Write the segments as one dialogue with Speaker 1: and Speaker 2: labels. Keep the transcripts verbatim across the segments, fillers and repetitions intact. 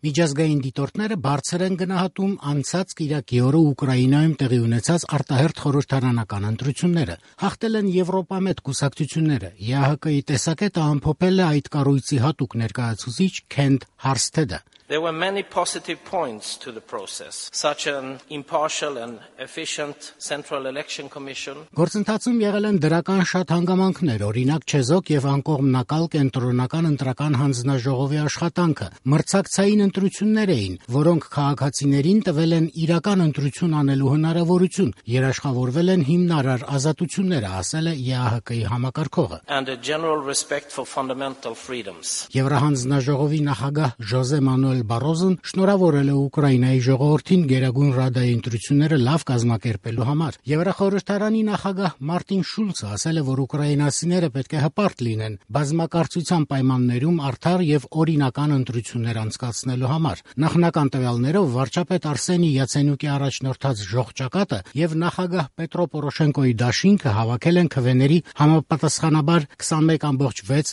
Speaker 1: Միջազգային դիտորդները բարձր են գնահատում անցած կիրակի օրը Ուկրաինայում տեղի ունեցած արտահերթ խորհրդարանական ընտրությունները։ Հաղթել են Եվրոպամետ կուսակցությունները։ Է Ահ Կ-ի տեսակետը ամփոփել է այդ կառույցի հատուկ ներկայացուցիչ Քենթ Հարսթեդը։
Speaker 2: There were many positive points to the process, such an impartial and efficient Central Election Commission.
Speaker 1: Գործընթացում եղել են դրական շատ հանգամանքներ, օրինակ չեզոք եւ անկողմնակալ կենտրոնական ընտրական հանձնաժողովի աշխատանքը, մրցակցային ընտրություններ էին, որոնք քաղաքացիներին տվել են իրական ընտրություն անելու հնարավորություն, երաշխավորվել են հիմնարար ազատությունները, ասել է Է Ահ Կ-ի համակարգողը։
Speaker 2: And a general respect for fundamental freedoms.
Speaker 1: Եվրահանձնաժողովի նախագահ Ժոզե Մանուել Բարոզն շնորհավորել է Ուկրաինայի ժողովրդին Գերագույն Ռադայի ընտրությունները լավ կազմակերպելու համար։ Եվրախորհրդարանի նախագահ Մարտին Շուլցը ասել է, որ ուկրաինացիները պետք է հպարտ լինեն բազմակարծության պայմաններում արդար եւ օրինական ընտրություններ անցկացնելու համար։ Նախնական տվյալներով վարչապետ Արսենի Յացենյուկի առաջնորդած ժողջակատը եւ նախագահ Պետրո Պորոշենկոյի դաշինքը հավաքել են քվեների համապատասխանաբար քսանմեկ կόμma վեց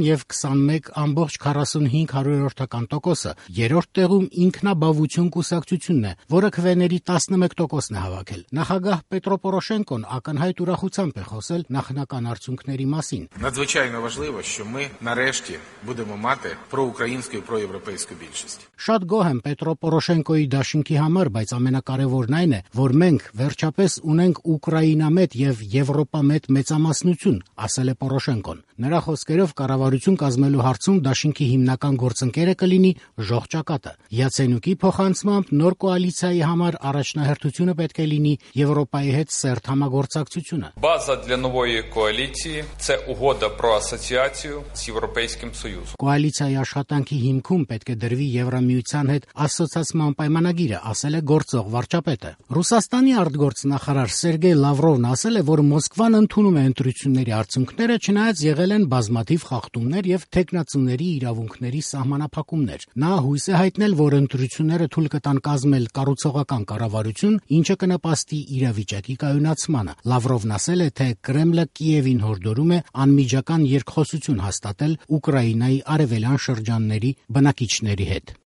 Speaker 1: եւ քսանմեկ կόμma քառասունհինգ տոկոս։ Երրորդ տեղում ինքնաբավություն կուսակցությունն է, որը քվեների տասնմեկ տոկոսն է հավաքել։ Նախագահ Պետրո Պորոշենկոն ակնհայտ ուրախությամբ է խոսել նախնական արդյունքների մասին։
Speaker 3: Надзвичайно важливо, що ми нарешті будемо мати проукраїнську і проєвропейську більшість.
Speaker 1: Շատ գոհ եմ Պետրո Պորոշենկոյի դաշինքի համար, բայց ամենակարևորն այն է, որ մենք վերջապես ունենք Ուկրաինամետ եւ Եվրոպամետ մեծամասնություն, ասել է Պորոշենկոն։ Նրա խոսքերով կառավարություն կազմելու հարցում դաշինքի հիմնական գործընկերը կլինի ժողջակատը։ Յացենյուկի փոխանցմամբ նոր կոալիցիայի համար առաջնահերթությունը պետք է լինի Եվրոպայի հետ սերտ համագործակցությունը։
Speaker 4: База для нової коаліції – це угода про асоціацію з Європейським Союзом.
Speaker 1: Կոալիցիայի աշխատանքի հիմքում պետք է դրվի Եվրամիության հետ ասոցիացման պայմանագիրը, ասել է գործող վարչապետը։ Ռուսաստանի արտգործնախարար Սերգեյ Լավրովն ասել է, որ Մոսկվան ընդունում է ընտրությունների արդյունքները, չնայած եղել են բազմաթիվ խախտումներ եւ թեկնածուների իրավունքների սահմանափակումներ։ Նա հույս է հայտնել, որ ընտրությունները թույլ կտան կազմել կառուցողական կառավարություն, ինչը կնպաստի իրավիճակի կայունացմանը։ Լավրովն ասել է, թե Կրեմլը Կիևին հորդորում է անմիջական երկխոսություն հաստատել Ուկրաինայի արևելյան շրջանների բնակիչների հետ։